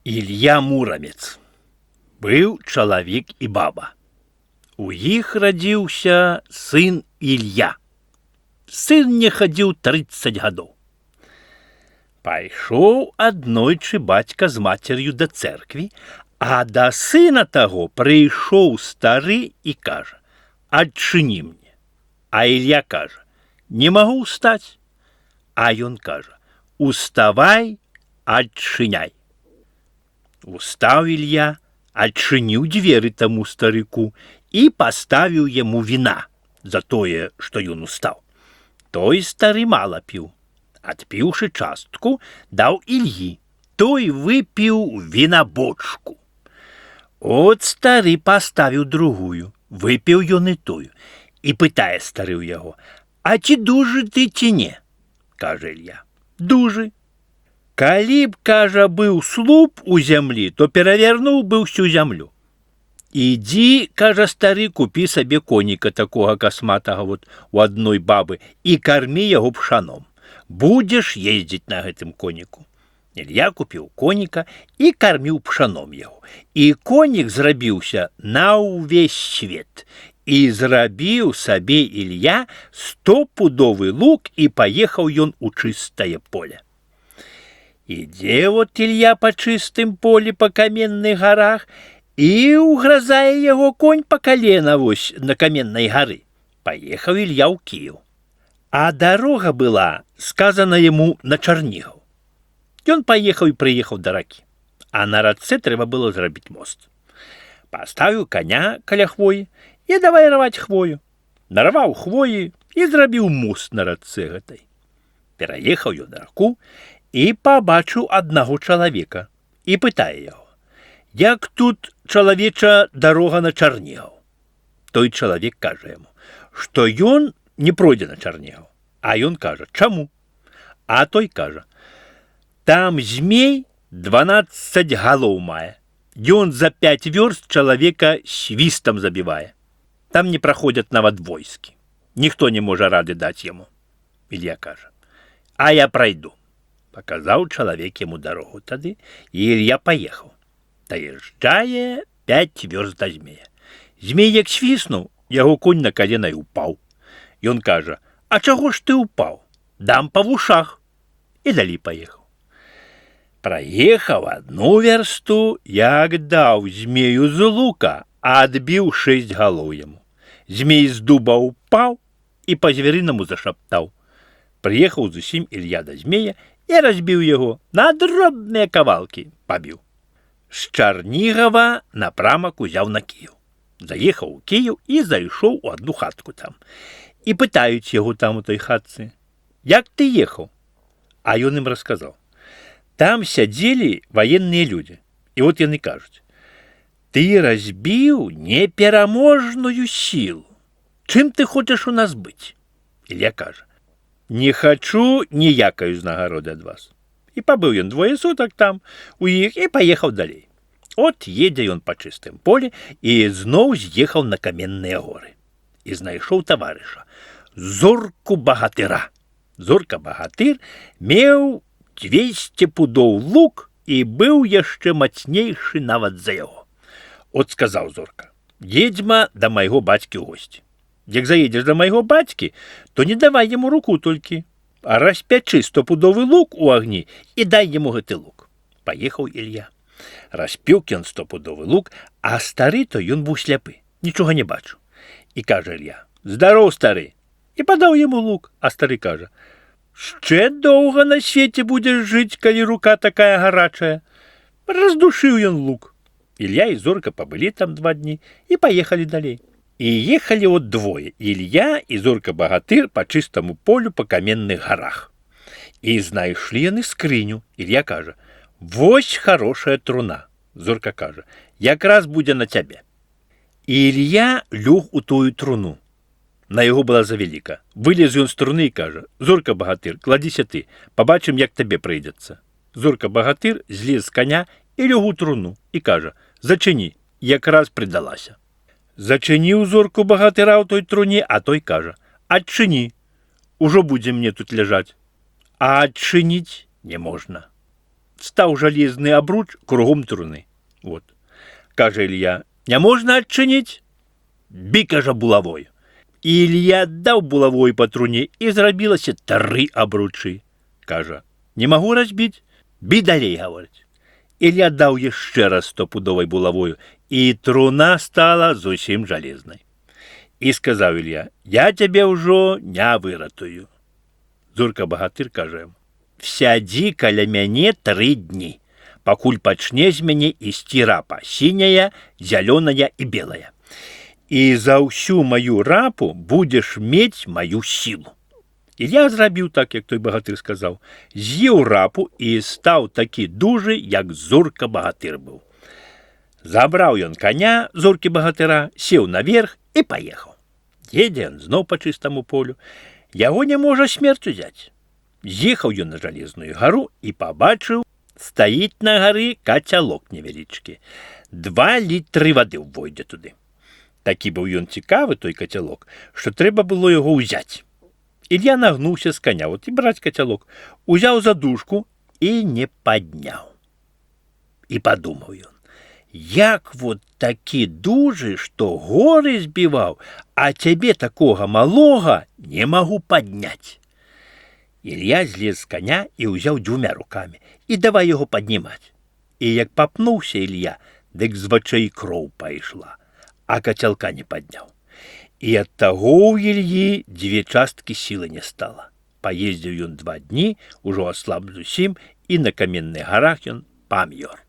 Илья Муромец. Быў чалавек і баба. У іх радзіўся сын Илья. Сын не хадзіў 30 гадоў. Пайшоў аднойчы бацька з мацер'ю да цэркві, а да сына таго прыйшоў стары і кажа: «Адчыні мне». А Илья кажа: «Не магу ўстаць». А ён кажа: «Уставай, адчыняй». Устаў Илья, адчыніў дзверы таму старыку і паставіў яму віна за тое, што ён устаў. Той стары мала піў. Адпіўшы частку, даў Ільі. Той выпіў вінабочку. От стары паставіў другую. Выпіў ён і тую. І пытае стары ў яго: «А ці дужы ты, ці не?» Кажа Ілья: «Дужы». Калі б, кажа, быў слуп у зямлі, то перавернуў бы ўсю зямлю. Ідзі, кажа стары, купі сабе коніка такога касматага у адной бабы і кармі яго пшаном. Будзеш ездзіць на гэтым коніку. Ілья купіў коніка і карміў пшаном яго. І конік зрабіўся на ўвесь свет. І зрабіў сабе Ілья 100-пудовы лук і паехаў ён у чыстае поле. Ідзе Ілья па чыстым полі па каменных гарах, і ўгрызае яго конь па калена на каменнай гары. Паехаў Ілья ў Кіеў. А дарога была сказана яму на Чарнігаў. Ён паехаў і прыехаў да ракі. А на рацэ трэба было зрабіць мост. Паставіў каня каля хвоі і давай рваць хвою. Нарваў хвоі і зрабіў мост на рацэ гэтай. Пераехаў ён раку і пабачыў аднаго чалавека і пытае яго: «Як тут, чалавеча, дарога на Чарнігаў?» Той чалавек кажа яму, што ён не пройдзе на Чарнігаў. А ён кажа: «Чаму?» А той кажа: «Там змей 12 галоў мае. Ён за 5 вёрст чалавека свістам забівае. Там не праходзяць нават войскі. Ніхто не можа рады даць яму». Ілья кажа: «А я прайду». Паказаў чалавек яму дарогу тады, і Ілья паехаў. Даязджае 5 вёрст да змея. Змей як свіснуў, яго конь на калена і ўпаў. Ён кажа: «А чаго ж ты ўпаў? Дам па вушах». І далей паехаў. Праехаў 1 вярсту, як даў змею з лука, а адбіў 6 галоў яму. Змей з дуба ўпаў і па-звярынаму зашаптаў. Прыехаў зусім Ілья да змея і разбіў яго на дробныя кавалкі, пабіў. З Чарнігава напрамак узяў на Кіеў. Заехаў у Кіеў і зайшоў у адну хатку там. І пытаюць яго там у той хатцы: «Як ты ехаў?» А ён ім расказаў. Там сядзелі ваенныя людзі. І от яны кажуць: «Ты разбіў непераможную сілу. Чым ты хочаш у нас быць?» Ілья кажа: «Не хачу ніякай узнагароды ад вас». І пабыў ён 2 сутак там у іх і паехаў далей. От едзе ён па чыстым полі і зноў з'ехаў на каменныя горы. І знайшоў таварыша, Зорку багатыра. Зорка-багатыр меў 200 пудоў лук і быў яшчэ мацнейшы нават за яго. От сказаў Зорка: «Едзьма да майго бацькі ў госці. Як заедзеш да майго бацькі, то не давай яму руку толькі, а распячы 100-пудовы лук у агні і дай яму гэты лук». Паехаў Ілья. Распёк ён 100-пудовы лук, а стары то ён быў сляпы, нічога не бачыў. І кажа Ілья: «Здароў, стары!» І падаў яму лук, а стары кажа: «Шчэ доўга на свеце будзеш жыць, калі рука такая гарачая». Раздушыў ён лук. Ілья і Зорка пабылі там 2 дні і паехалі далей. І ехалі от двое, Ілья і Зорка-багатыр па чыстаму полю па каменных гарах. І знайшлі яны скрыню. Ілья кажа: «Вось хорошая труна». Зорка кажа: «Якраз будзе на цябе». І Ілья лёг у тую труну. На яго была завяліка. Вылез ён з труны і кажа: «Зорка-багатыр, кладзіся ты, пабачым, як табе прыйдзецца». Зорка-багатыр злез з каня і лёг у труну і кажа: «Зачыні, якраз прыдалася». Зачыніў Зорку-багатыра ў той труне, а той кажа: «Адчыні, ужо будзе мне тут ляжаць». А адчыніць не можна. став жалезный обруч кругом труны. Вот. Каже Илья, не можна адчыніць? Бі, кажа, булавою. І Илья даў булавой па труне, і зрабілася 3 абручы. Кажа, не магу разбіць? Бі далей, гаворыць. Илья даў яшчэ раз 100-пудовай булавою, і труна стала зусім жалезнай. І сказаў Илья, я цябе ўжо не выратую. Зурка-багатыр кажа, сядзі каля мяне 3 дні, пакуль пачне з мяне ісці рапа, сіняя, зялёная і белая. І за ўсю маю рапу будзеш мець маю сілу. Илья зрабіў так, як той багатыр сказаў, з'еў рапу і стаў такі дужы, як Зурка-багатыр быў. Забраў ён коня Зуркі-багатыра, сеў наверх і паехаў. Едзе ён зноў па чыстаму полю. Яго не можа смерць узяць. З'ехаў ён на жалезную гару і пабачыў, стаіць на гары кацялок невялічкі. 2 літры вады ўвойдзе туды. Такі быў ён цікавы, той кацялок, што трэба было яго ўзяць. Илья нагнуўся з коня, вот і браць кацялок, узяў за дужку і не падняў. І падумаў ён, як вот такі дужы, што горы збіваў, а цябе такога малога не магу падняць. Илья злез з коня і ўзяў 2 рукамі і давай яго паднімаць. І як папнуўся Илья, дык з вачэй кроў пайшла, а кацялка не падняў. І ад таго ў Ільі 2 часткі сілы не стала. Паездзіў ён 2 дні, ужо аслаб зусім, і на каменных гарах ён памёр.